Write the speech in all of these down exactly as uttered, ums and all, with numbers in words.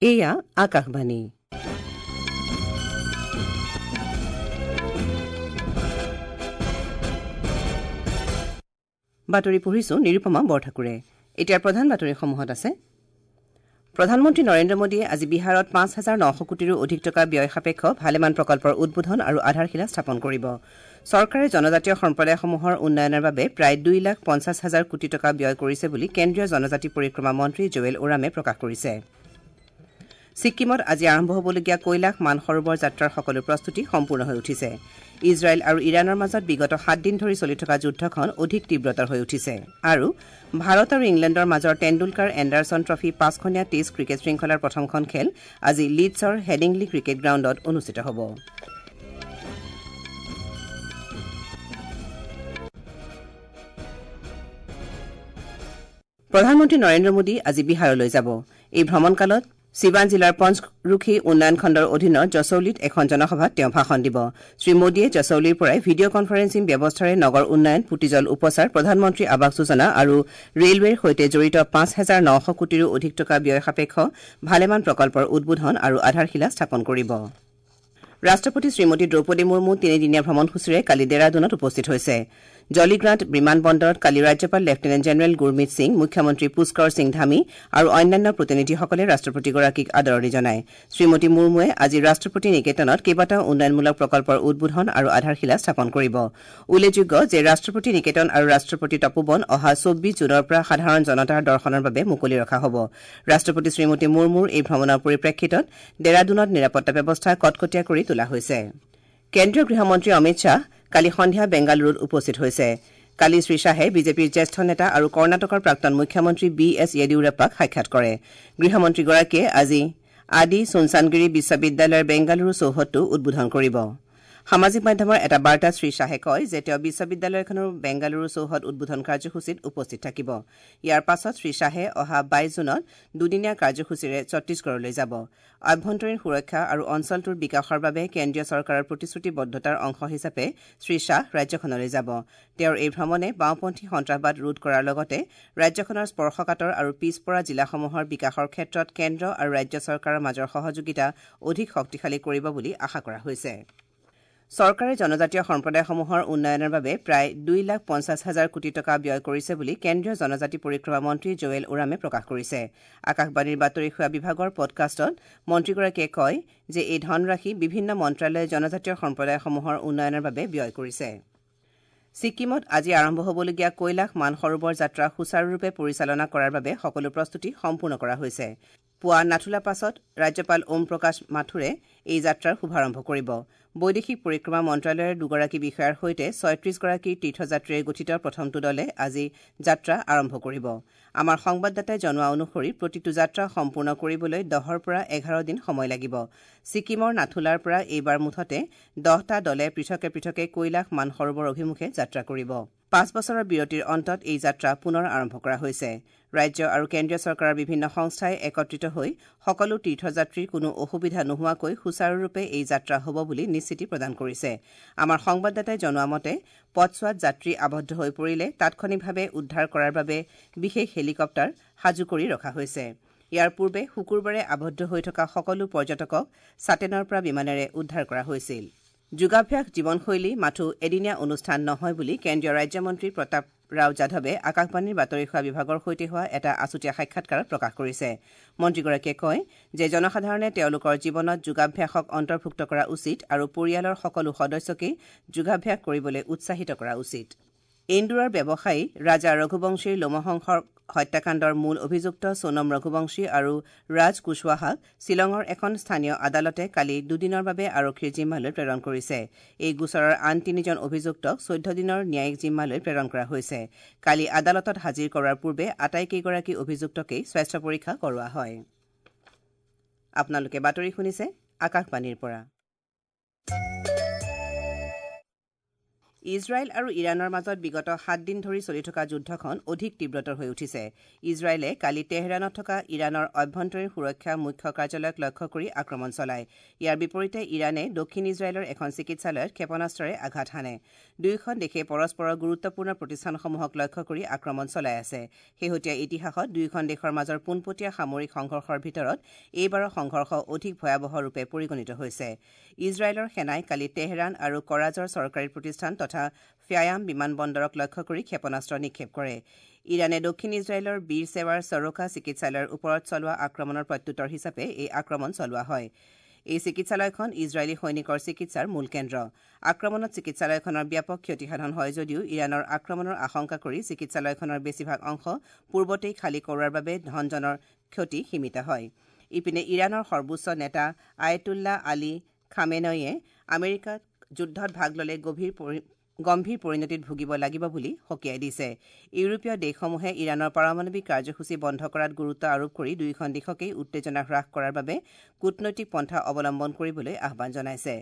এয়া আকাশবাণী। বাতৰি পঢ়িছো নিৰুপমা বৰঠাকুৰে। এতিয়া প্ৰধান বাতৰিসমূহত আছে প্ৰধানমন্ত্ৰী নৰেন্দ্ৰ মোদীয়ে আজি বিহাৰত পাঁচ হাজাৰ নশ কোটিৰো অধিক টকা ব্যয় সাপেক্ষ ভালেমান প্ৰকল্পৰ উদ্বোধন আৰু আধাৰশিলা স্থাপন কৰিব। চৰকাৰে জনজাতীয় সম্প্ৰদায়সমূহৰ উন্নয়নৰ বাবে প্ৰায় দুই লাখ পঞ্চাছ হাজাৰ কোটি টকা ব্যয় কৰিছে বুলি কেন্দ্ৰীয় জনজাতি পৰিক্ৰমা মন্ত্ৰী জুৱেল ওৰামে প্ৰকাশ কৰিছে। ছিক্কিমত আজি আৰম্ভ হ'বলগীয়া কৈলাশ মানসৰোবৰ যাত্ৰাৰ সকলো প্ৰস্তুতি সম্পূৰ্ণ হৈ উঠিছে। ইজৰাইল আৰু ইৰাণৰ মাজত বিগত সাত দিন ধৰি চলি থকা যুদ্ধখন অধিক তীব্ৰতৰ হৈ উঠিছে। আৰু ভাৰত আৰু ইংলেণ্ডৰ মাজৰ টেণ্ডুলকাৰ এণ্ডাৰছন ট্ৰফী পাঁচখনীয়া টেষ্ট ক্ৰিকেট শৃংখলাৰ প্ৰথমখন খেল আজি লিডছৰ হেডিংলি ক্ৰিকেট গ্ৰাউণ্ডত অনুষ্ঠিত হ'ব। প্ৰধানমন্ত্ৰী নৰেন্দ্ৰ মোদী আজি বিহাৰলৈ যাব। এই ভ্ৰমণকালত চিৱান জিলাৰ পঞ্চৰুখী উন্নয়ন খণ্ডৰ অধীনৰ জছৌলিত এখন জনসভাত তেওঁ ভাষণ দিব। শ্ৰীমোদীয়ে জছৌলিৰ পৰাই ভিডিঅ কনফাৰেন্সিং ব্যৱস্থাৰে নগৰ উন্নয়ন, পুতিজল উপচাৰ, প্ৰধানমন্ত্ৰী আৱাস যোজনা আৰু ৰেলৱেৰ সৈতে জড়িত পাঁচ হাজাৰ নশ কোটিৰো অধিক টকা ব্যয় সাপেক্ষ ভালেমান প্ৰকল্পৰ উদ্বোধন আৰু আধাৰশিলা স্থাপন কৰিব। ৰাষ্ট্ৰপতি শ্ৰীমতী দ্ৰৌপদী মুৰ্মু তিনিদিনীয়া ভ্ৰমণসূচীৰে কালি ডেৰাডুনত উপস্থিত হৈছে। জলিগ্ৰাণ্ট বিমান বন্দৰত কালি ৰাজ্যপাল লেফটেনেণ্ট জেনেৰেল গুৰমিত সিং, মুখ্যমন্ত্ৰী পুষ্কৰ সিং ধামী আৰু অন্যান্য প্ৰতিনিধিসকলে ৰাষ্ট্ৰপতিগৰাকীক আদৰণি জনায়। শ্ৰীমতী মুৰ্মুৱে আজি ৰাষ্ট্ৰপতি নিকেতনত কেইবাটাও উন্নয়নমূলক প্ৰকল্পৰ উদ্বোধন আৰু আধাৰশিলা স্থাপন কৰিব। উল্লেখযোগ্য যে ৰাষ্ট্ৰপতি নিকেতন আৰু ৰাষ্ট্ৰপতি তপোবন অহা চৌব্বিছ জুনৰ পৰা সাধাৰণ জনতাৰ দৰ্শনৰ বাবে মুকলি ৰখা হ'ব। ৰাষ্ট্ৰপতি শ্ৰীমতী মুৰ্মুৰ এই ভ্ৰমণৰ পৰিপ্ৰেক্ষিতত ডেৰাডুনত নিৰাপত্তা ব্যৱস্থা কটকটীয়া কৰি তোলা হৈছে। কেন্দ্ৰীয় গৃহমন্ত্ৰী অমিত শ্বাহ কালি সন্ধিয়া বেংগালুৰুত উপস্থিত হৈছে। কালি শ্ৰীশ্বাহে বিজেপিৰ জ্যেষ্ঠ নেতা আৰু কৰ্ণাটকৰ প্ৰাক্তন মুখ্যমন্ত্ৰী বি এছ য়েডিয়ুৰাপ্পাক সাক্ষাৎ কৰে। গৃহমন্ত্ৰীগৰাকীয়ে আজি আদি চুনচানগিৰি বিশ্ববিদ্যালয়ৰ বেংগালুৰু চৌহদটো উদ্বোধন কৰিব। সামাজিক মাধ্যমৰ এটা বাৰ্তাত শ্ৰীশ্বাহে কয় যে তেওঁ বিশ্ববিদ্যালয়খনৰ বেংগালুৰু চৌহদ উদ্বোধন কাৰ্যসূচীত উপস্থিত থাকিব। ইয়াৰ পাছত শ্ৰীশ্বাহে অহা বাইছ জুনত দুদিনীয়া কাৰ্যসূচীৰে ছত্তীশগড়লৈ যাব। আভ্যন্তৰীণ সুৰক্ষা আৰু অঞ্চলটোৰ বিকাশৰ বাবে কেন্দ্ৰীয় চৰকাৰৰ প্ৰতিশ্ৰুতিবদ্ধতাৰ অংশ হিচাপে শ্ৰীশ্বাহ ৰাজ্যখনলৈ যাব। তেওঁৰ এই ভ্ৰমণে বাওঁপন্থী সন্ত্ৰাসবাদ ৰোধ কৰাৰ লগতে ৰাজ্যখনৰ স্পৰ্শকাতৰ আৰু পিছপৰা জিলাসমূহৰ বিকাশৰ ক্ষেত্ৰত কেন্দ্ৰ আৰু ৰাজ্য চৰকাৰৰ মাজৰ সহযোগিতা অধিক শক্তিশালী কৰিব বুলি আশা কৰা হৈছে। চৰকাৰে জনজাতীয় সম্প্ৰদায়সমূহৰ উন্নয়নৰ বাবে প্ৰায় দুই লাখ পঞ্চাছ হাজাৰ কোটি টকা ব্যয় কৰিছে বুলি কেন্দ্ৰীয় জনজাতি পৰিক্ৰমা মন্ত্ৰী জুৱেল ওৰামে প্ৰকাশ কৰিছে। আকাশবাণীৰ বাতৰি সেৱা বিভাগৰ পডকাষ্টত মন্ত্ৰীগৰাকীয়ে কয় যে এই ধনৰাশি বিভিন্ন মন্ত্ৰালয়ে জনজাতীয় সম্প্ৰদায়সমূহৰ উন্নয়নৰ বাবে ব্যয় কৰিছে। ছিক্কিমত আজি আৰম্ভ হ'বলগীয়া কৈলাশ মানসৰোবৰ যাত্ৰা সুচাৰুৰূপে পৰিচালনা কৰাৰ বাবে সকলো প্ৰস্তুতি সম্পূৰ্ণ কৰা হৈছে। পুৱা নাথুলা পাছত ৰাজ্যপাল ওম প্ৰকাশ মাথুৰে এই যাত্ৰাৰ শুভাৰম্ভ কৰিব। বৈদেশিক পৰিক্ৰমা মন্ত্ৰালয়ৰ দুগৰাকী বিষয়াৰ সৈতে ছয়ত্ৰিশগৰাকী তীৰ্থযাত্ৰীৰে গঠিত প্ৰথমটো দলে আজি যাত্ৰা আৰম্ভ কৰিব। আমাৰ সংবাদদাতাই জনোৱা অনুসৰি প্ৰতিটো যাত্ৰা সম্পূৰ্ণ কৰিবলৈ দহৰ পৰা এঘাৰ দিন সময় লাগিব। ছিক্কিমৰ নাথুলাৰ পৰা এইবাৰ মুঠতে দহটা দলে পৃথকে পৃথকে কৈলাশ মানসৰোবৰ অভিমুখে যাত্ৰা কৰিব। পাঁচ বছৰৰ বিৰতিৰ অন্তত এই যাত্ৰা পুনৰ আৰম্ভ কৰা হৈছে। ৰাজ্য আৰু কেন্দ্ৰীয় চৰকাৰৰ বিভিন্ন সংস্থাই একত্ৰিত হৈ সকলো তীৰ্থযাত্ৰীৰ কোনো অসুবিধা নোহোৱাকৈ সুচাৰুৰূপে এই যাত্ৰা হ'ব বুলি নিশ্চিতি প্ৰদান কৰিছে। আমাৰ সংবাদদাতাই জনোৱা মতে পথছোৱাত যাত্ৰী আবদ্ধ হৈ পৰিলে তাৎক্ষণিকভাৱে উদ্ধাৰ কৰাৰ বাবে বিশেষ হেলিকপ্টাৰ সাজু কৰি ৰখা হৈছে। ইয়াৰ পূৰ্বে শুকুৰবাৰে আবদ্ধ হৈ থকা সকলো পৰ্যটকক ছাটেনৰ পৰা বিমানেৰে উদ্ধাৰ কৰা হৈছিল। যোগাভ্যাস জীৱনশৈলী মাথো এদিনীয়া অনুষ্ঠান নহয় বুলি কেন্দ্ৰীয় ৰাজ্যমন্ত্ৰী প্ৰতাপ ৰাও যাদৱে আকাশবাণীৰ বাতৰি সেৱা বিভাগৰ সৈতে হোৱা এটা আছুতীয়া সাক্ষাৎকাৰত প্ৰকাশ কৰিছে। মন্ত্ৰীগৰাকীয়ে কয় যে জনসাধাৰণে তেওঁলোকৰ জীৱনত যোগাভ্যাসক অন্তৰ্ভুক্ত কৰা উচিত আৰু পৰিয়ালৰ সকলো সদস্যকেই যোগাভ্যাস কৰিবলৈ উৎসাহিত কৰা উচিত। ইন্দোৰৰ ব্যৱসায়ী ৰাজা ৰঘুবংশীৰ লোমহংসৰ হত্যাকাণ্ডৰ মূল অভিযুক্ত সোণম ৰঘুবংশী আৰু ৰাজ কুশৱাহাক শ্বিলঙৰ এখন স্থানীয় আদালতে কালি দুদিনৰ বাবে আৰক্ষীৰ জিম্মালৈ প্ৰেৰণ কৰিছে। এই গোচৰৰ আন তিনিজন অভিযুক্তক চৈধ্য দিনৰ ন্যায়িক জিম্মালৈ প্ৰেৰণ কৰা হৈছে। কালি আদালতত হাজিৰ কৰাৰ পূৰ্বে আটাইকেইগৰাকী অভিযুক্তকেই স্বাস্থ্য পৰীক্ষা কৰোৱা হয়। আপোনালোকে বাতৰি শুনিছে আকাশবাণীৰ পৰা। ইজৰাইল আৰু ইৰাণৰ মাজত বিগত সাত দিন ধৰি চলি থকা যুদ্ধখন অধিক তীব্ৰতৰ হৈ উঠিছে। ইজৰাইলে কালি তেহৰাণত থকা ইৰাণৰ অভ্যন্তৰীণ সুৰক্ষা মুখ্য কাৰ্যালয়ক লক্ষ্য কৰি আক্ৰমণ চলায়। ইয়াৰ বিপৰীতে ইৰাণে দক্ষিণ ইজৰাইলৰ এখন চিকিৎসালয়ত ক্ষেপণাস্ত্ৰৰে আঘাত হানে। দুয়োখন দেশে পৰস্পৰৰ গুৰুত্বপূৰ্ণ প্ৰতিষ্ঠানসমূহক লক্ষ্য কৰি আক্ৰমণ চলাই আছে। শেহতীয়া ইতিহাসত দুয়োখন দেশৰ মাজৰ পোনপটীয়া সামৰিক সংঘৰ্ষৰ ভিতৰত এইবাৰৰ সংঘৰ্ষ অধিক ভয়াৱহ ৰূপে পৰিগণিত হৈছে। ইজৰাইলৰ সেনাই কালি তেহৰাণ আৰু কৰাজৰ চৰকাৰী প্ৰতিষ্ঠান তথা ফ্যায়াম বিমানবন্দৰক লক্ষ্য কৰি ক্ষেপণাস্ত্ৰ নিক্ষেপ কৰে। ইৰাণে দক্ষিণ ইজৰাইলৰ বীৰ সেৱাৰ চৰকা চিকিৎসালয়ৰ ওপৰত চলোৱা আক্ৰমণৰ প্ৰত্যুত্তৰ হিচাপে এই আক্ৰমণ চলোৱা হয়। এই চিকিৎসালয়খন ইজৰাইলী সৈনিকৰ চিকিৎসাৰ মূল কেন্দ্ৰ। আক্ৰমণত চিকিৎসালয়খনৰ ব্যাপক ক্ষতিসাধন হয় যদিও ইৰাণৰ আক্ৰমণৰ আশংকা কৰি চিকিৎসালয়খনৰ বেছিভাগ অংশ পূৰ্বতেই খালী কৰোৱাৰ বাবে ধনজনৰ ক্ষতি সীমিত হয়। ইপিনে ইৰাণৰ সৰ্বোচ্চ নেতা আয়তুল্লাহ আলী খামেনইয়ে আমেৰিকাত যুদ্ধত ভাগ ল'লে গভীৰ গম্ভীৰ পৰিণতিত ভুগিব লাগিব বুলি সকীয়াই দিছে। ইউৰোপীয় দেশসমূহে ইৰাণৰ পাৰমাণৱিক কাৰ্যসূচী বন্ধ কৰাত গুৰুত্ব আৰোপ কৰি দুয়োখন দেশকেই উত্তেজনা হ্ৰাস কৰাৰ বাবে কূটনৈতিক পন্থা অৱলম্বন কৰিবলৈ আহ্বান জনাইছে।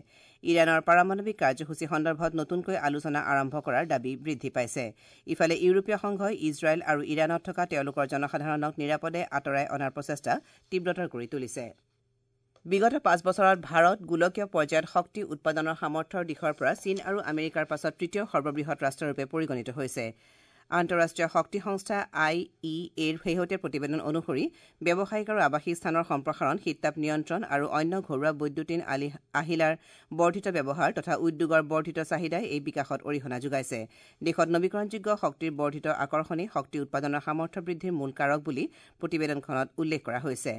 ইৰাণৰ পাৰমাণৱিক কাৰ্যসূচী সন্দৰ্ভত নতুনকৈ আলোচনা আৰম্ভ কৰাৰ দাবী বৃদ্ধি পাইছে। ইফালে ইউৰোপীয় সংঘই ইজৰাইল আৰু ইৰাণত থকা তেওঁলোকৰ জনসাধাৰণক নিৰাপদে আঁতৰাই অনাৰ প্ৰচেষ্টা তীব্ৰতৰ কৰি তুলিছে। বিগত পাঁচ বছৰত ভাৰত গোলকীয় পৰ্যায়ত শক্তি উৎপাদনৰ সামৰ্থ্যৰ দিশৰ পৰা চীন আৰু আমেৰিকাৰ পাছত তৃতীয় সৰ্ববৃহৎ ৰাষ্ট্ৰৰূপে পৰিগণিত হৈছে। আন্তঃৰাষ্ট্ৰীয় শক্তি সংস্থা I E এৰ শেহতীয়া প্ৰতিবেদন অনুসৰি ব্যৱসায়িক আৰু আৱাসিক স্থানৰ সম্প্ৰসাৰণ, শীততাপ নিয়ন্ত্ৰণ আৰু অন্য ঘৰুৱা বৈদ্যুতিন আহিলাৰ বৰ্ধিত ব্যৱহাৰ তথা উদ্যোগৰ বৰ্ধিত চাহিদাই এই বিকাশত অৰিহণা যোগাইছে। দেশত নবীকৰণযোগ্য শক্তিৰ বৰ্ধিত আকৰ্ষণেই শক্তি উৎপাদনৰ সামৰ্থ্য বৃদ্ধিৰ মূল কাৰক বুলি প্ৰতিবেদনখনত উল্লেখ কৰা হৈছে।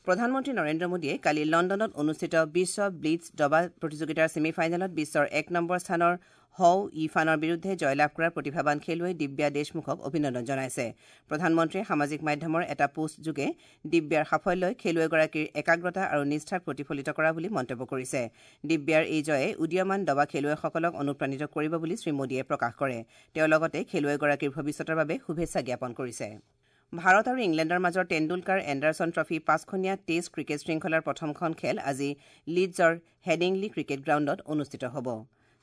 প্ৰধানমন্ত্ৰী নৰেন্দ্ৰ মোদীয়ে কালি লণ্ডনত অনুষ্ঠিত বিশ্ব ব্লিটজ দবা প্ৰতিযোগিতাৰ ছেমি ফাইনেলত বিশ্বৰ এক নম্বৰ স্থানৰ হৌ ইফানৰ বিৰুদ্ধে জয়লাভ কৰা প্ৰতিভাৱান খেলুৱৈ দিব্যা দেশমুখক অভিনন্দন জনাইছে। প্ৰধানমন্ত্ৰীয়ে সামাজিক মাধ্যমৰ এটা পোষ্টযোগে দিব্যাৰ সাফল্যই খেলুৱৈগৰাকীৰ একাগ্ৰতা আৰু নিষ্ঠাক প্ৰতিফলিত কৰা বুলি মন্তব্য কৰিছে। দিব্যাৰ এই জয়ে উদীয়মান দবা খেলুৱৈসকলক অনুপ্ৰাণিত কৰিব বুলি শ্ৰীমোদীয়ে প্ৰকাশ কৰে। তেওঁ লগতে খেলুৱৈগৰাকীৰ ভৱিষ্যতৰ বাবে শুভেচ্ছা জ্ঞাপন কৰিছে। ভাৰত আৰু ইংলেণ্ডৰ মাজৰ টেণ্ডুলকাৰ এণ্ডাৰছন ট্ৰফী পাঁচখনীয়া টেষ্ট ক্ৰিকেট শৃংখলাৰ প্ৰথমখন খেল আজি লিডছৰ হেডিংলি ক্ৰিকেট গ্ৰাউণ্ডত অনুষ্ঠিত হ'ব।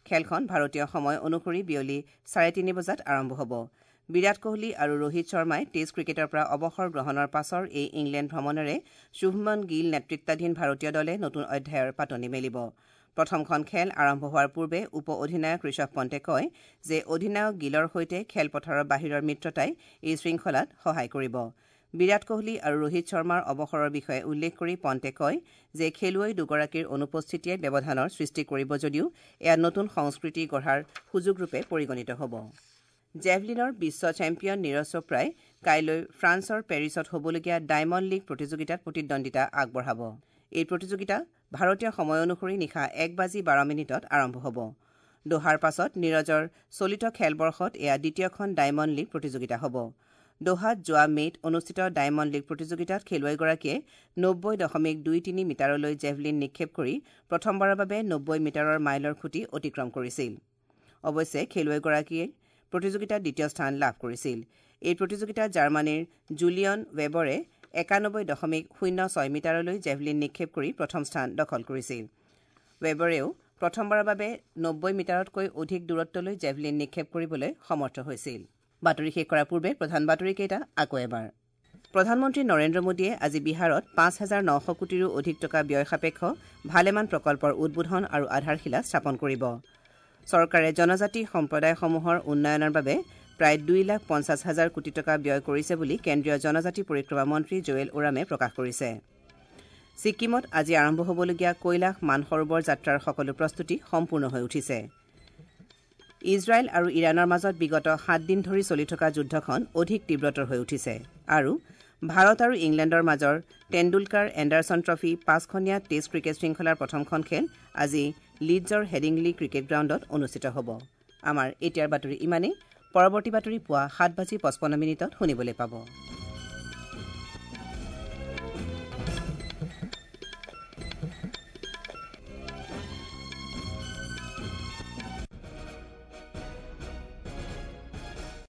খেলখন ভাৰতীয় সময় অনুসৰি বিয়লি চাৰে তিনি বজাত আৰম্ভ হ'ব। বিৰাট কোহলি আৰু ৰোহিত শৰ্মাই টেষ্ট ক্ৰিকেটৰ পৰা অৱসৰ গ্ৰহণৰ পাছৰ এই ইংলেণ্ড ভ্ৰমণেৰে শুভমন গীল নেতৃত্বাধীন ভাৰতীয় দলে নতুন অধ্যায়ৰ পাতনি মেলিব। প্ৰথমখন খেল আৰম্ভ হোৱাৰ পূৰ্বে উপ অধিনায়ক ঋষভ পণ্টে কয় যে অধিনায়ক গীলৰ সৈতে খেলপথাৰৰ বাহিৰৰ মিত্ৰতাই এই শৃংখলাত সহায় কৰিব। বিৰাট কোহলি আৰু ৰোহিত শৰ্মাৰ অৱসৰৰ বিষয়ে উল্লেখ কৰি পণ্টে কয় যে খেলুৱৈ দুগৰাকীৰ অনুপস্থিতিয়ে ব্যৱধানৰ সৃষ্টি কৰিব যদিও এয়া নতুন সংস্কৃতি গঢ়াৰ সুযোগৰূপে পৰিগণিত হ'ব। জেভলিনৰ বিশ্ব চেম্পিয়ন নীৰজ চোপ্ৰাই কাইলৈ ফ্ৰান্সৰ পেৰিছত হ'বলগীয়া ডায়মণ্ড লীগ প্ৰতিযোগিতাত প্ৰতিদ্বন্দ্বিতা আগবঢ়াব। এই প্ৰতিযোগিতা ভাৰতীয় সময় অনুসৰি নিশা এক বাজি বাৰ মিনিটত আৰম্ভ হ'ব। দোহাৰ পাছত নীৰজৰ চলিত খেলবৰ্ষত এয়া দ্বিতীয়খন ডায়মণ্ড লীগ প্ৰতিযোগিতা হ'ব। দোহাত যোৱা মে'ত অনুষ্ঠিত ডায়মণ্ড লীগ প্ৰতিযোগিতাত খেলুৱৈগৰাকীয়ে নব্বৈ দশমিক দুই তিনি মিটাৰলৈ জেভলিন নিক্ষেপ কৰি প্ৰথমবাৰৰ বাবে নব্বৈ মিটাৰৰ মাইলৰ খুঁটি অতিক্ৰম কৰিছিল। অৱশ্যে খেলুৱৈগৰাকীয়ে প্ৰতিযোগিতাত দ্বিতীয় স্থান লাভ কৰিছিল। এই প্ৰতিযোগিতাত জাৰ্মানীৰ জুলিয়ন ৱেবৰে একানব্বৈ দশমিক শূন্য ছয় মিটাৰলৈ জেভলিন নিক্ষেপ কৰি প্ৰথম স্থান দখল কৰিছিল। ৱেবৰেও প্ৰথমবাৰৰ বাবে নব্বৈ মিটাৰতকৈ অধিক দূৰত্বলৈ জেভলিন নিক্ষেপ কৰিবলৈ সমৰ্থ হৈছিল। বাতৰি শেষ কৰাৰ পূৰ্বে প্ৰধান বাতৰিকেইটা আকৌ এবাৰ। প্ৰধানমন্ত্ৰী নৰেন্দ্ৰ মোদীয়ে আজি বিহাৰত পাঁচ হাজাৰ নশ কোটিৰো অধিক টকা ব্যয় সাপেক্ষ ভালেমান প্ৰকল্পৰ উদ্বোধন আৰু আধাৰশিলা স্থাপন কৰিব। চৰকাৰে জনজাতি সম্প্ৰদায়সমূহৰ উন্নয়নৰ বাবে প্ৰায় দুই লাখ পঞ্চাছ হাজাৰ কোটি টকা ব্যয় কৰিছে বুলি কেন্দ্ৰীয় জনজাতি পৰিক্ৰমা মন্ত্ৰী জুৱেল ওৰামে প্ৰকাশ কৰিছে। ছিকিমত আজি আৰম্ভ হ'বলগীয়া কৈলাশ মানসৰোবৰ যাত্ৰাৰ সকলো প্ৰস্তুতি সম্পূৰ্ণ হৈ উঠিছে। ইজৰাইল আৰু ইৰাণৰ মাজত বিগত সাত দিন ধৰি চলি থকা যুদ্ধখন অধিক তীব্ৰতৰ হৈ উঠিছে। আৰু ভাৰত আৰু ইংলেণ্ডৰ মাজৰ টেণ্ডুলকাৰ এণ্ডাৰছন ট্ৰফী পাঁচখনীয়া টেষ্ট ক্ৰিকেট শৃংখলাৰ প্ৰথমখন খেল আজি লিডছৰ হেডিংলি ক্ৰিকেট গ্ৰাউণ্ডত অনুষ্ঠিত হ'ব। আমাৰ এতিয়াৰ বাতৰি ইমানেই। পৰৱৰ্তী বাতৰি পুৱা সাত বাজি পঁচপন্ন মিনিটত শুনিবলৈ পাব।